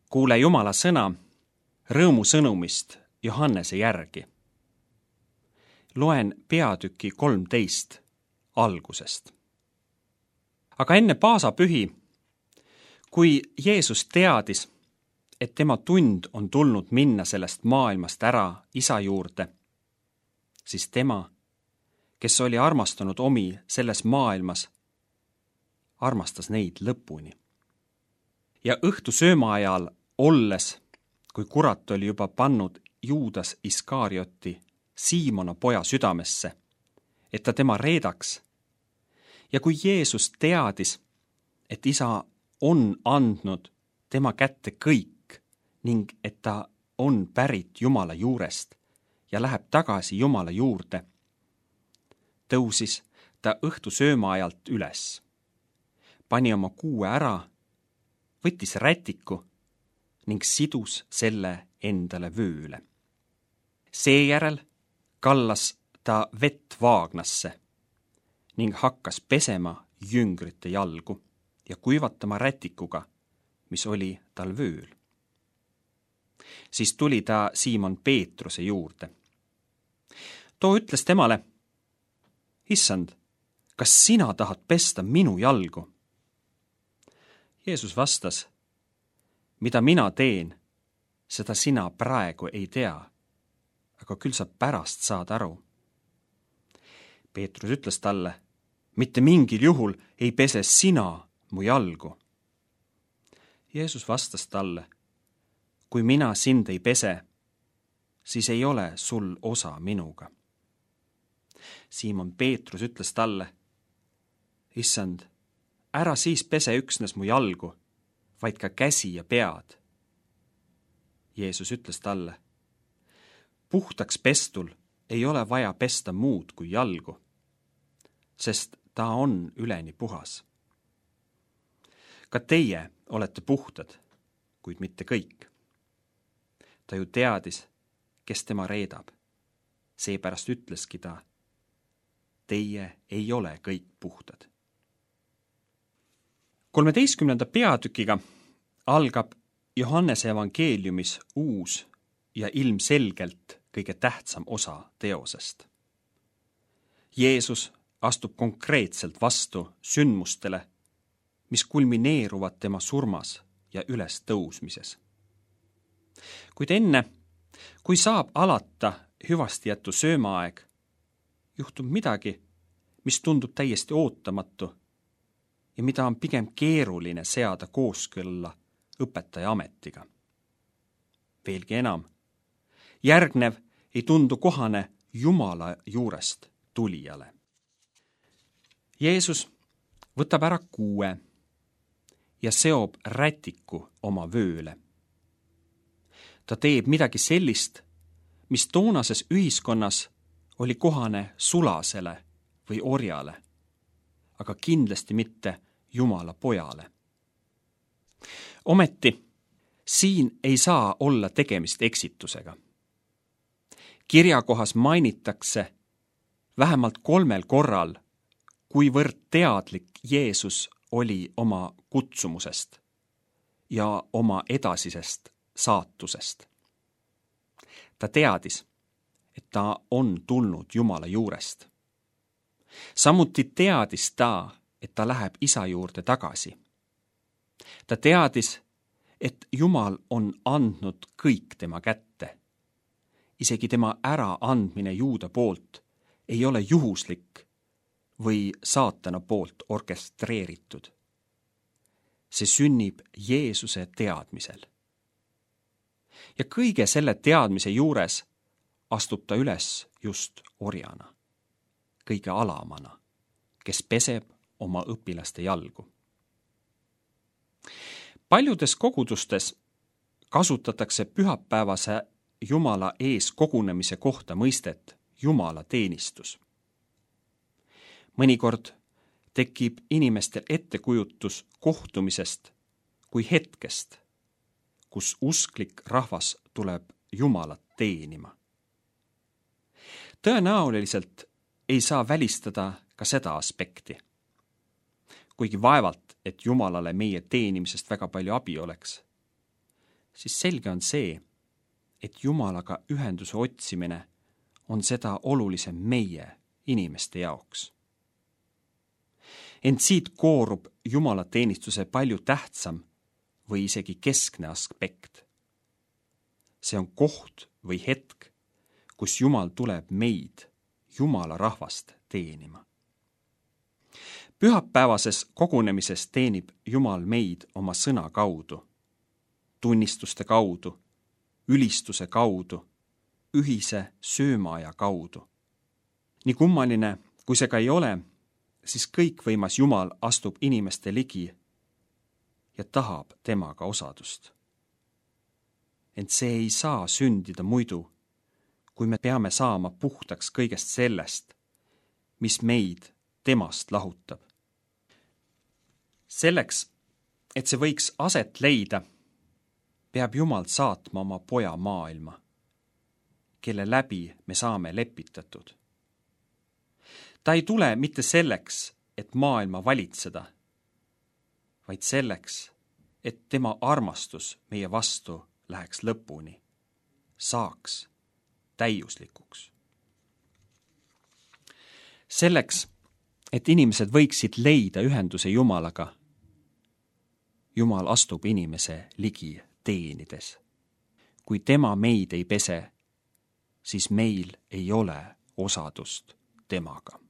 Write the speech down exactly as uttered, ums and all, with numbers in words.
Kuule Jumala sõna rõõmusõnumist Johannese järgi. Loen peatüki kolmteist algusest. Aga enne paasapühi, kui Jeesus teadis, et tema tund on tulnud minna sellest maailmast ära isa juurde, siis tema, kes oli armastanud omi selles maailmas, armastas neid lõpuni. Ja õhtu sööma ajal olles, kui kurat oli juba pannud Juudas Iskarioti Siimona poja südamesse, et ta tema reedaks, ja kui Jeesus teadis, et isa on andnud tema kätte kõik ning et ta on pärit Jumala juurest ja läheb tagasi Jumala juurde, tõusis ta õhtu sööma ajalt üles, pani oma kuue ära, võttis rätiku ning sidus selle endale vööle. Seejärel kallas ta vett vaagnasse ning hakkas pesema jüngrite jalgu ja kuivatama rätikuga, mis oli tal vööl. Siis tuli ta Siimon Peetruse juurde. Too ütles temale: Issand, kas sina tahad pesta minu jalgu? Jeesus vastas: mida mina teen, seda sina praegu ei tea, aga küll sa pärast saad aru. Peetrus ütles talle: mitte mingil juhul ei pese sina mu jalgu. Jeesus vastas talle: kui mina sind ei pese, siis ei ole sul osa minuga. Siimon Peetrus ütles talle: Issand, ära siis pese üksnes mu jalgu, vaid ka käsi ja pead. Jeesus ütles talle: puhtaks pestul ei ole vaja pesta muud kui jalgu, sest ta on üleni puhas. Ka teie olete puhtad, kuid mitte kõik. Ta ju teadis, kes tema reedab. Seepärast ütleski ta: teie ei ole kõik puhtad. kolmeteistkümnenda peatükiga algab Johannese evangeeliumis uus ja ilmselgelt kõige tähtsam osa teosest. Jeesus astub konkreetselt vastu sündmustele, mis kulmineeruvad tema surmas ja ülestõusmises. Kuid enne, kui saab alata hüvastijätu söömaaeg, juhtub midagi, mis tundub täiesti ootamatu ja mida on pigem keeruline seada kooskõlla õpetaja ametiga. Veelgi enam, järgnev ei tundu kohane Jumala juurest tulijale. Jeesus võtab ära kuue ja seob rätiku oma vööle. Ta teeb midagi sellist, mis toonases ühiskonnas oli kohane sulasele või orjale, aga kindlasti mitte Jumala pojale. Ometi siin ei saa olla tegemist eksitusega. Kirjakohas mainitakse vähemalt kolmel korral, kuivõrd teadlik Jeesus oli oma kutsumusest ja oma edasisest saatusest. Ta teadis, et ta on tulnud Jumala juurest. Samuti teadis ta, et ta läheb isa juurde tagasi. Ta teadis, et Jumal on andnud kõik tema kätte. Isegi tema äraandmine Juuda poolt ei ole juhuslik või saatana poolt orkestreeritud. See sünnib Jeesuse teadmisel. Ja kõige selle teadmise juures astub ta üles just orjana, kõige alamana, kes peseb oma õpilaste jalgu. Paljudes kogudustes kasutatakse pühapäevase Jumala ees kogunemise kohta mõistet Jumala teenistus. Mõnikord tekib inimestel ettekujutus kohtumisest kui hetkest, kus usklik rahvas tuleb Jumalat teenima. Tõenäoliselt ei saa välistada ka seda aspekti. Kuigi vaevalt, et Jumalale meie teenimisest väga palju abi oleks. siis selge on see, et Jumalaga ühenduse otsimine on seda olulisem meie inimeste jaoks. Ent siit koorub jumalateenistuse palju tähtsam või isegi keskne aspekt. See on koht või hetk, kus Jumal tuleb meid, Jumala rahvast, teenima. Pühapäevases kogunemises teenib Jumal meid oma sõna kaudu, tunnistuste kaudu, ülistuse kaudu, ühise söömaaja kaudu. Nii kummaline, kui see ka ei ole, siis kõikvõimas Jumal astub inimeste ligi ja tahab temaga osadust. Ent see ei saa sündida muidu, kui me peame saama puhtaks kõigest sellest, mis meid temast lahutab. Selleks, et see võiks aset leida, peab Jumal saatma oma poja maailma, kelle läbi me saame lepitatud. Ta ei tule mitte selleks, et maailma valitseda, vaid selleks, et tema armastus meie vastu läheks lõpuni, saaks täiuslikuks. Selleks, et inimesed võiksid leida ühenduse Jumalaga, Jumal astub inimese ligi teenides. Kui tema meid ei pese, siis meil ei ole osadust temaga.